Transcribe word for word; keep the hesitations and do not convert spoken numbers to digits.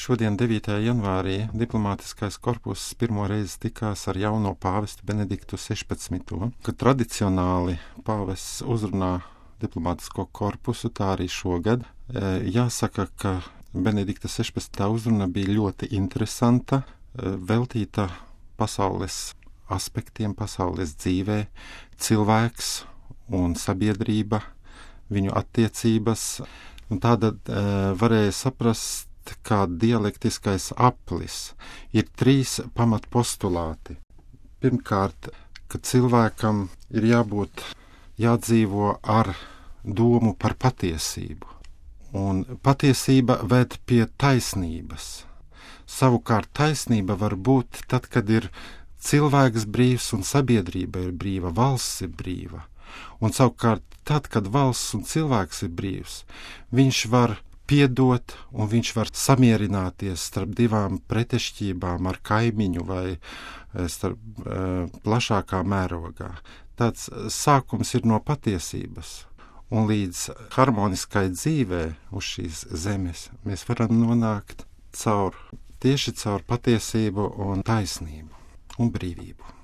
Šodien, devītajā janvārī, diplomātiskais korpuss pirmo reizi tikās ar jauno pāvestu Benediktu sešpadsmito, kad tradicionāli pāvests uzrunā diplomātisko korpusu, tā arī šogad. Jāsaka, ka Benedikta sešpadsmitā uzruna bija ļoti interesanta, veltīta pasaules aspektiem, pasaules dzīvē, cilvēks un sabiedrība, viņu attiecības. Un tāda varēja saprast, kā dialektiskais aplis ir trīs pamatpostulāti. Pirmkārt, ka cilvēkam ir jābūt, jādzīvo ar domu par patiesību, un patiesība ved pie taisnības. Savukārt taisnība var būt tad, kad ir cilvēks brīvs un sabiedrība ir brīva, valsts ir brīva. Un savukārt tad, kad valsts un cilvēks ir brīvs, viņš var piedot un viņš var samierināties starp divām pretešķībām ar kaimiņu vai starp uh, plašākā mērogā. Tāds sākums ir no patiesības, un līdz harmoniskai dzīvē uz šīs zemes mēs varam nonākt caur, tieši caur patiesību un taisnību un brīvību.